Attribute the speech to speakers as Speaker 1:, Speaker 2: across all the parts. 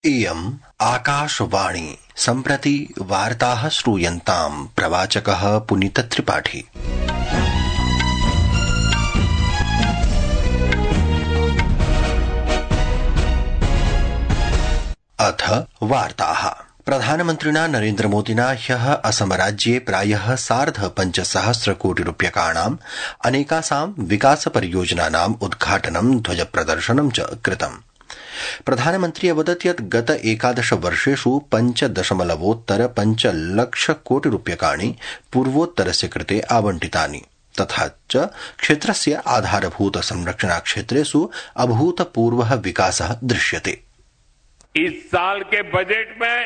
Speaker 1: इयम् आकाशवाणी सम्प्रति वार्ताः श्रूयन्ताम् प्रवाचकः पुनीतत्रिपाठी। अथ वार्ताः। प्रधानमन्त्रिणा नरेन्द्रमोदिना ह्यः असमराज्ये प्रायः 5,500 कोटिरूप्यकाणाम् अनेकासां विकासपरियोजनानाम् उद्घाटनं ध्वजप्रदर्शनं च कृतम्। प्रधानमन्त्री अवदत् यत् गत 11 वर्षेषु 5.5 लक्ष कोटिरूप्यकाणि पूर्वोत्तरस्य कृते आवंटितानि तथा च क्षेत्रस्य आधारभूत संरचना क्षेत्रेषु अभूतपूर्वः विकासः दृश्यते।
Speaker 2: इस साल के बजट में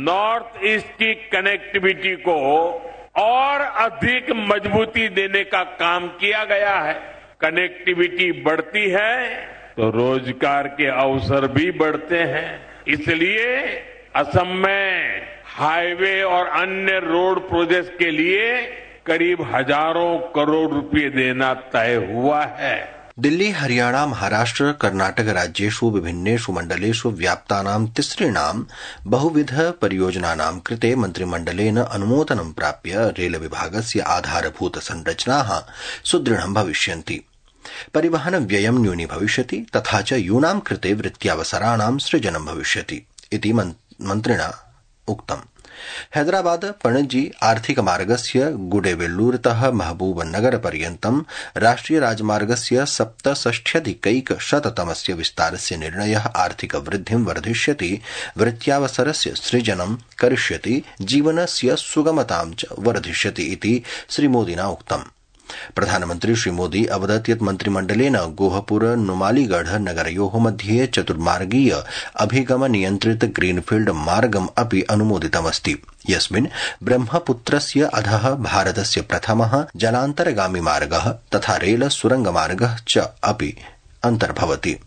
Speaker 2: नॉर्थ ईस्ट की कनेक्टिविटी को और अधिक मजबूती देने का काम किया गया है। कनेक्टिविटी बढ़ती है तो रोजगार के अवसर भी बढ़ते हैं। इसलिए असम में हाईवे और अन्य रोड प्रोजेक्ट के लिए करीब हजारों करोड़ रुपए देना तय हुआ है।
Speaker 1: दिल्ली, हरियाणा, महाराष्ट्र, कर्नाटक राज्येषु विभिन्नेषु मण्डलेषु व्याप्तानां तिसृणां बहुविध परियोजनानां कृते मन्त्रिमण्डलेन अनुमोदनं प्राप्य रेल विभागस्य आधारभूत संरचनाः सुदृढं भविष्यन्ति। परिवहन व्ययं न्यूनी भविष्यति तथा च यूनां कृते वृत्त्यवसराणां सृजनं भविष्यति इति मन्त्रिणा उक्तम्। हैदराबाद पणजी आर्थिक मार्गस्य गुडेबेल्लूरतः महबूबनगर पर्यन्तं राष्ट्रिय राजमार्गस्य 67,100तमस्य विस्तारस्य निर्णयः आर्थिक वृद्धिं वर्धिष्यति, वृत्त्यावसरस्य सृजनं करिष्यति, जीवनस्य सुगमतां च वर्धिष्यति इति श्रीमोदिना उक्तम्। प्रधानमन्त्री श्रीमोदी अवदत् यत् मन्त्रिमण्डलेन गोहपुर नुमालीगढ़ नगरयोः मध्ये चतुर्मार्गीय अभिगम नियन्त्रित ग्रीनफील्ड मार्गम् अपि अनुमोदितमस्ति, यस्मिन् ब्रह्मपुत्रस्य अधः भारतस्य प्रथमः जलान्तर्गामी मार्गः तथा रेल सुरंगमार्गः च अपि अन्तर्भवति।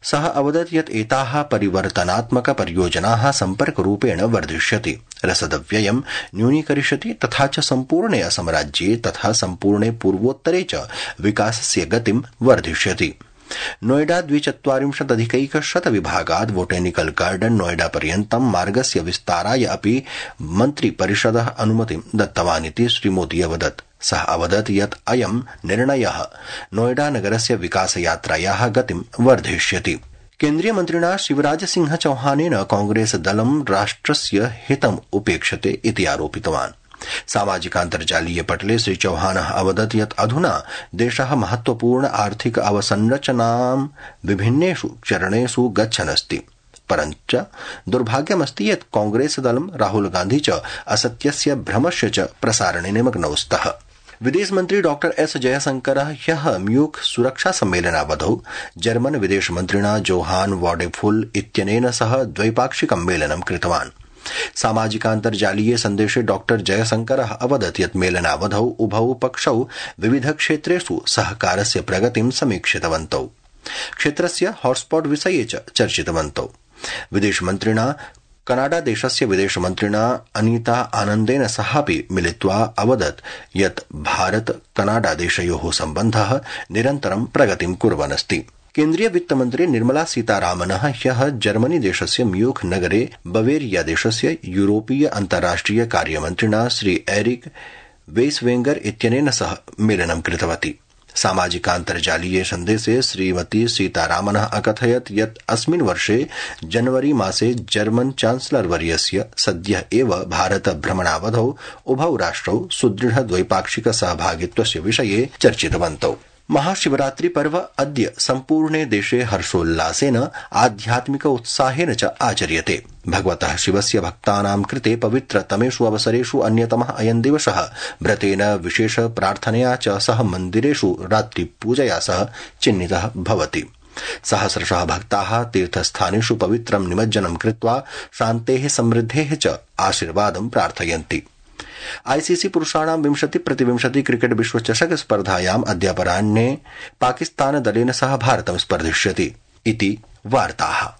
Speaker 1: सः अवदत् यत् एताः परिवर्तनात्मक परियोजनाः सम्पर्करूपेण वर्धिष्यति, रसदव्ययं न्यूनीकरिष्यति तथा च सम्पूर्णे असमराज्ये तथा सम्पूर्णे पूर्वोत्तरे च विकासस्य गतिं वर्धिष्यति। नोएडा 42,100 विभागात् बोटेनिकल गार्डन नोएडा पर्यन्तं मार्गस्य विस्ताराय अपि मन्त्रिपरिषदः अनुमतिं दत्तवानिति श्रीमोदी अवदत्। सः अवदत् यत् अयं निर्णयः नोएडा नगरस्य विकासयात्रायाः गतिं वर्धयिष्यति। केन्द्रीय मन्त्रिणा शिवराज सिंह चौहानेन कांग्रेस दलं राष्ट्रस्य हितम् उपेक्षते इति आरोपितवान्। सामाजिकान्तर्जालीय पटले श्री चौहानः अवदत् यत् अधुना देशः महत्वपूर्ण आर्थिक अवसंरचनां विभिन्नेषु चरणेषु गच्छनस्ति, परञ्च दुर्भाग्यमस्ति यत् कांग्रेस दलं राहुल गांधी च असत्यस्य भ्रमस्य च प्रसारणे निमग्नौ स्तः। विदेश मन्त्री डॉक्टर एस जयशंकरः ह्यः म्यूख सुरक्षा सम्मेलनावधौ जर्मन विदेश मन्त्रिणा जोहान वॉडेफुल इत्यनेन सह द्वैपाक्षिकं मेलनं कृतवान्। सामाजिकान्तर्जालीय सन्देशे डॉक्टर जयशंकरः अवदत् यत् मेलनावधौ उभौ पक्षौ विविध क्षेत्रेषु सहकारस्य प्रगतिं समीक्षितवन्तौ, क्षेत्रस्य हॉटस्पॉट विषये च चर्चितवन्तौ। विदेशमन्त्रिणा कनाडा देशस्य विदेशमन्त्रिणा अनीता आनन्देन सहापि मिलित्वा अवदत् यत् भारत कनाडा देशयोः सम्बन्धः निरन्तरं प्रगतिं कुर्वन् अस्ति। केन्द्रीय वित्तमन्त्री निर्मला सीतारामनः ह्यः जर्मनी देशस्य म्यूख नगरे बवेरिया देशस्य यूरोपीय अन्ताराष्ट्रिय कार्यमन्त्रिणा श्री एरिक वेस्वेंगर इत्यनेन सह मेलनं कृतवती। सामाजिकान्तर्जालीय सन्देशे श्रीमती सीतारामनः अकथयत् यत् अस्मिन् वर्षे जनवरी मासे जर्मन चांसलर वर्यस्य सद्यः एव भारत भ्रमणावधौ उभौ राष्ट्रौ सुदृढ द्वैपाक्षिक सहभागित्वस्य विषये चर्चितवन्तौ। महाशिवरात्रि पर्व अद्य सम्पूर्णे देशे हर्षोल्लासेन आध्यात्मिक उत्साहेन च आचर्यते। भगवतः शिवस्य भक्तानां कृते पवित्रतमेषु अवसरेषु अन्यतमः अयं दिवसः व्रतेन विशेष प्रार्थनया च सह मन्दिरेषु रात्रिपूजया सह चिह्नितः भवति। सहस्रशः भक्ताः तीर्थस्थानेषु पवित्रं निमज्जनं कृत्वा शान्तेः समृद्धेः च आशीर्वादं प्रार्थयन्ति। आईसीसी पुरुषाणां 20x20 क्रिकेट विश्वचषक स्पर्धायाम् अद्यापराह्ने पाकिस्तान दलेन सह भारतं स्पर्धिष्यति इति वार्ताः।